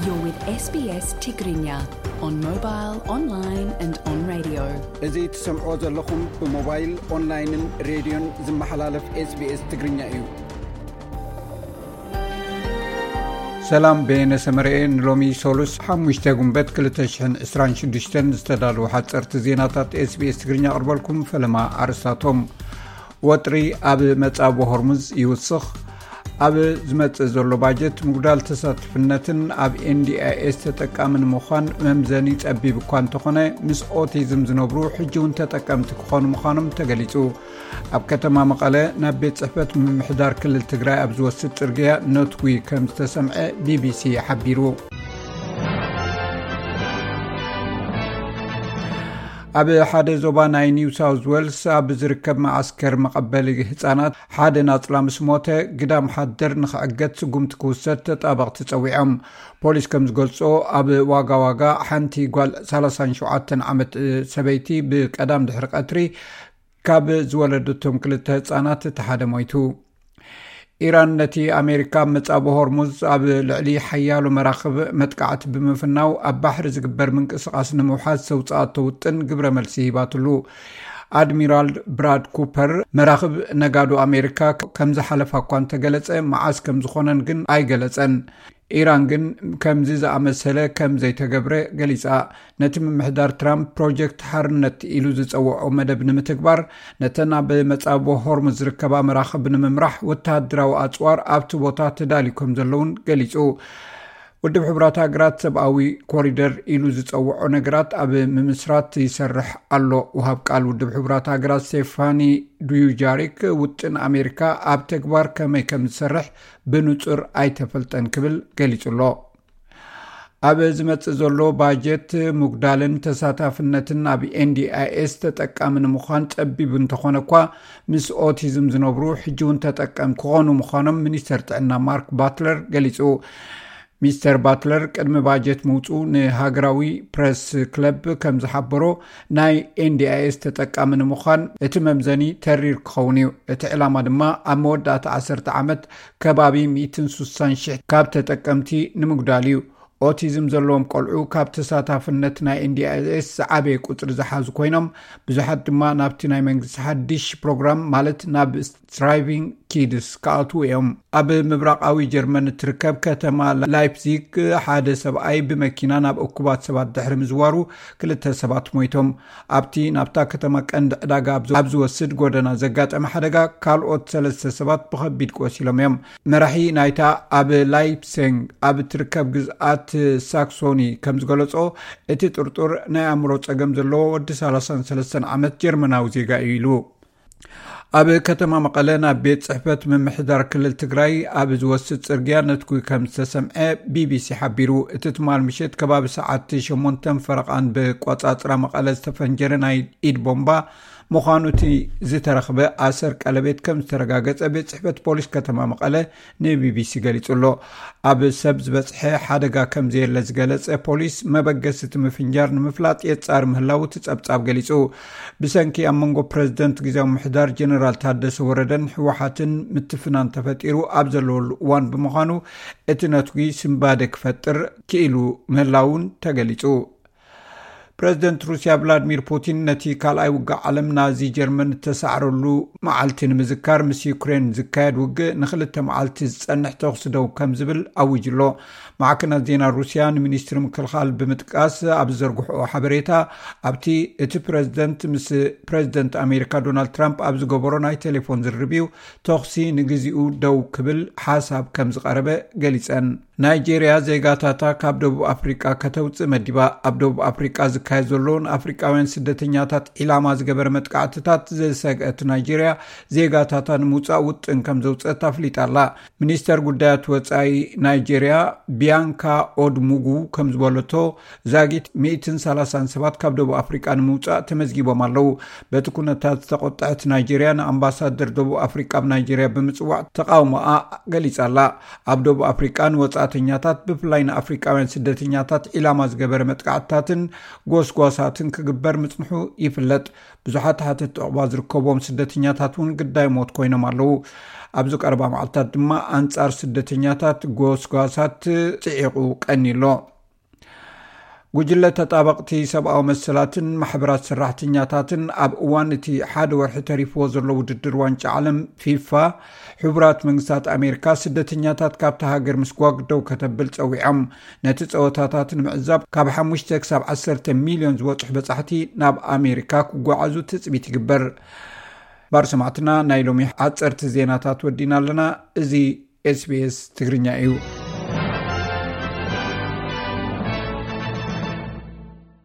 You're with S B S Tigrinya on mobile, online and on radio. እዚ ትሰምዖ ዘለኹም ብሞባይል፣ ኦንላይንን ሬድዮን ዝመሓላለፍ SBS ትግርኛ እዩ። ሰላም፣ በየነ ሰመረኤ ንሎሚ ሶሉስ ሓሙሽተ ጉንበት ክልተ ሽሕን ዕስራን ሽዱሽተን ዝተዳለዉ ሓፀርቲ ዜናታት SBS ትግርኛ ኣቕርበልኩም። ፈለማ ኣርእስታቶም። ወጥሪ ኣብ መጻብቦ ሆርሙዝ ይውስኽ። ኣብ ዝመጽእ ዘሎ ባጀት ምጉዳል ተሳትፍነትን ኣብ NDIS ተጠቃሚ ንምዃን መምዘኒ ጸቢብ እኳ እንተኾነ፣ ምስ ኦቲዝም ዝነብሩ ሕጂ እውን ተጠቀምቲ ክኾኑ ምዃኖም ተገሊጹ። ኣብ ከተማ መቐለ ናብ ቤት ጽሕፈት ምምሕዳር ክልል ትግራይ ኣብ ዝወስድ ጽርግያ ነትጒ ከም ዝተሰምዐ ቢቢሲ ሓቢሩ። ኣብ ሓደ ዞባ ናይ ኒው ሳውዝ ዌልስ ኣብ ዝርከብ መዓስከር መቐበሊ ህጻናት ሓደ ናጽላ ምስ ሞተ፣ ግዳም ሓደር ንኽዕገት ስጉምቲ ክውሰድ ተጣበቕቲ ጸዊዖም። ፖሊስ ከም ዝገልጾ፣ ኣብ ዋጋ ዋጋ ሓንቲ ጓል ሰላሳን ሸውዓተን ዓመት ሰበይቲ ብቀዳም ድሕሪ ቀትሪ ካብ ዝወለደቶም ክልተ ህጻናት እቲ ሓደ ሞይቱ። ኢራን ነቲ ኣሜሪካ ኣብ መጻብቦ ሆርሙዝ ኣብ ልዕሊ ሓያሎ መራኽብ መጥቃዕቲ ብምፍናው ኣብ ባሕሪ ዝግበር ምንቅስቓስ ንምውሓዝ ዘውጽኣቶ ውጥን ግብረ መልሲ ሂባትሉ። ኣድሚራል ብራድ ኩፐር መራኽብ ነጋዶ ኣሜሪካ ከም ዝሓለፋ እኳ እንተገለጸ፣ መዓስ ከም ዝኾነን ግን ኣይገለጸን። ኢራን ግን ከምዚ ዝኣመሰለ ከም ዘይተገብረ ገሊጻ። ነቲ ምምሕዳር ትራምፕ ፕሮጀክት ሓርነት ኢሉ ዝጸውዖ መደብ ንምትግባር፣ ነተን ኣብ መጻብቦ ሆርሙዝ ዝርከባ መራኽብ ንምምራሕ ወተሃደራዊ ኣጽዋር ኣብቲ ቦታ ተዳልዩ ከም ዘለውን ገሊጹ። ውድብ ሕቡራት ሃገራት ሰብኣዊ ኮሪደር ኢሉ ዝጸውዖ ነገራት ኣብ ምምስራት ይሰርሕ ኣሎ። ወሃብ ቃል ውድብ ሕቡራት ሃገራት ስቴፋኒ ዱዩጃሪክ፣ ውጥን ኣሜሪካ ኣብ ተግባር ከመይ ከም ዝሰርሕ ብንጹር ኣይተፈልጠን ክብል ገሊጹ ኣሎ። ኣብ ዝመጽእ ዘሎ ባጀት፣ ምጉዳልን ተሳታፍነትን ኣብ NDIS ተጠቃሚ ንምዃን ጸቢብ እንተኾነ እኳ፣ ምስ ኦቲዝም ዝነብሩ ሕጂ እውን ተጠቀም ክኾኑ ምዃኖም ሚኒስተር ጥዕና ማርክ ባትለር ገሊጹ። ሚስተር ባትለር ቅድሚ ባጀት ምውጹ ንሃገራዊ ፕረስ ክለብ ከም ዝሓበሮ፣ ናይ NDIS ተጠቃሚ ንምዃን እቲ መምዘኒ ተሪር ክኸውን እዩ። እቲ ዕላማ ድማ ኣብ መወዳእታ ዓሰርተ ዓመት ከባቢ ሚእትን ስሳን ሽሕ ካብ ተጠቀምቲ ንምጉዳል እዩ። ኦቲዝም ዘለዎም ቆልዑ ካብ ተሳታፍነት ናይ NDIS ዝዓበየ ቁጽሪ ዝሓዙ ኮይኖም፣ ብዙሓት ድማ ናብቲ ናይ መንግስቲ ሓድሽ ፕሮግራም፣ ማለት ናብ ስትራይቪንግ ኪድስ ክኣትዉ እዮም። ኣብ ምብራቓዊ ጀርመን እትርከብ ከተማ ላይፕዚግ ሓደ ሰብኣይ ብመኪና ናብ እኩባት ሰባት ድሕሪ ምዝዋሩ ክልተ ሰባት ሞይቶም። ኣብቲ ናብታ ከተማ ቀንዲ ዕዳጋ ኣብ ዝ-፣ ኣብ ዝወስድ ጎደና ዘጋጠመ ሓደጋ ካልኦት ሰለስተ ሰባት ብኸቢድ ቆሲሎም እዮም። መራሒ ናይታ ኣብ ላይፕሲንግ ኣብ እትርከብ ግዝኣት ሳክሶኒ ከም ዝገለጾ፣ እቲ ጥርጡር ናይ ኣእምሮ ጸገም ዘለዎ ወዲ ሰላሳን ሰለስተን ዓመት ጀርመናዊ ዜጋ እዩ ኢሉ። ኣብ ከተማ መቐለ ናብ ቤት ጽሕፈት ምምሕዳር ክልል ትግራይ ኣብ ዝወስድ ጽርግያ ነትጉ ከም ዝተሰምዐ ቢቢሲ ሓቢሩ። እቲ ትማል ምሸት ከባቢ ሰዓት ሸሞንተን ፈረቓን ብቆጻጽራ መቐለ ዝተፈንጀረ ናይ ኢድ ቦምባ ምዃኑ እቲ ዝተረኽበ ኣሰር ቀለቤት ከም ዝተረጋገጸ ቤት ጽሕፈት ፖሊስ ከተማ መቐለ ንቢቢሲ ገሊጹ ኣሎ። ኣብ ሰብ ዝበጽሐ ሓደጋ ከም ዘየለ ዝገለጸ ፖሊስ፣ መበገሲ እቲ ምፍንጃር ንምፍላጥ የጻሪ ምህላዉ እቲ ጸብጻብ ገሊጹ። ብሰንኪ ኣብ መንጎ ፕረዚደንት ግዝያዊ ምሕዳር ጀነራል ታደሰ ወረደን ህወሓትን ምትፍናን ተፈጢሩ ኣብ ዘለወሉ እዋን ብምዃኑ፣ እቲ ነትጒ ስንባደ ክፈጥር ክኢሉ ምህላውን ተገሊጹ። ፕረዚደንት ሩስያ ቭላድሚር ፑቲን ነቲ ካልኣይ ውግእ ዓለም ናዚ ጀርመን እተሳዕረሉ መዓልቲ ንምዝካር፣ ምስ ዩክሬን ዝካየድ ውግእ ንኽልተ መዓልቲ ዝጸንሕ ተኹሲ ደው ከም ዝብል ኣዊጁ ኣሎ። ማዕከናት ዜና ሩስያ ንሚኒስትሪ ምክልኻል ብምጥቃስ ኣብ ዝዘርግሕኦ ሓበሬታ፣ ኣብቲ እቲ ፕረዚደንት ምስ ፕረዚደንት ኣሜሪካ ዶናልድ ትራምፕ ኣብ ዝገበሮ ናይ ቴሌፎን ዝርርብ እዩ ተኹሲ ንግዚኡ ደው ክብል ሓሳብ ከም ዝቐረበ ገሊጸን። ናይጄርያ ዜጋታታ ካብ ደቡብ ኣፍሪቃ ከተውጽእ መዲባ። ኣብ ደቡብ ኣፍሪቃ ዝካየድ ዘሎ ንኣፍሪቃውያን ስደተኛታት ዒላማ ዝገበረ መጥቃዕትታት ዝሰግአት ናይጄርያ፣ ዜጋታታ ንምውጻእ ውጥን ከም ዘውጽአት ኣፍሊጣ ኣላ። ሚኒስተር ጉዳያት ወጻኢ ናይጄርያ ቢያንካ ኦድሙጉ ከም ዝበለቶ፣ ዛጊት ሚእትን ሰላሳን ሰባት ካብ ደቡብ ኣፍሪቃ ንምውጻእ ተመዝጊቦም ኣለዉ። በቲ ኩነታት ዝተቖጠዐት ናይጄርያ ንኣምባሳደር ደቡብ ኣፍሪቃ ኣብ ናይጄርያ ብምጽዋዕ ተቓውሞኣ ገሊጻ ኣላ። ኣብ ደቡብ ኣፍሪቃ ንወጻእተኛታት፣ ብፍላይ ንኣፍሪቃውያን ስደተኛታት ዒላማ ዝገበረ መጥቃዕትታትን ጎስጓሳትን ክግበር ምጽንሑ ይፍለጥ። ብዙሓት ሓተትቲ ዑቕባ ዝርከብዎም ስደተኛታት እውን ግዳይ ሞት ኮይኖም ኣለዉ። ኣብዚ ቀረባ መዓልታት ድማ ኣንጻር ስደተኛታት ጎስጓሳት ጽዒቑ ቀኒሎ። ጉጅለ ተጣበቕቲ ሰብኣዊ መሰላትን ማሕበራት ሰራሕተኛታትን ኣብ እዋን እቲ ሓደ ወርሒ ተሪፍዎ ዘሎ ውድድር ዋንጫ ዓለም ፊፋ፣ ሕቡራት መንግስታት ኣሜሪካ ስደተኛታት ካብታ ሃገር ምስጓግ ደው ከተብል ጸዊዖም። ነቲ ጸወታታት ንምዕዛብ ካብ ሓሙሽተ ክሳብ ዓሰርተ ሚልዮን ዝበጽሑ በጻሕቲ ናብ ኣሜሪካ ክጓዓዙ ትጽቢት ይግበር። ባር ሰማዕትና፣ ናይ ሎሚ ሓጸርቲ ዜናታት ወዲና ኣለና። እዚ ኤስቢኤስ ትግርኛ እዩ።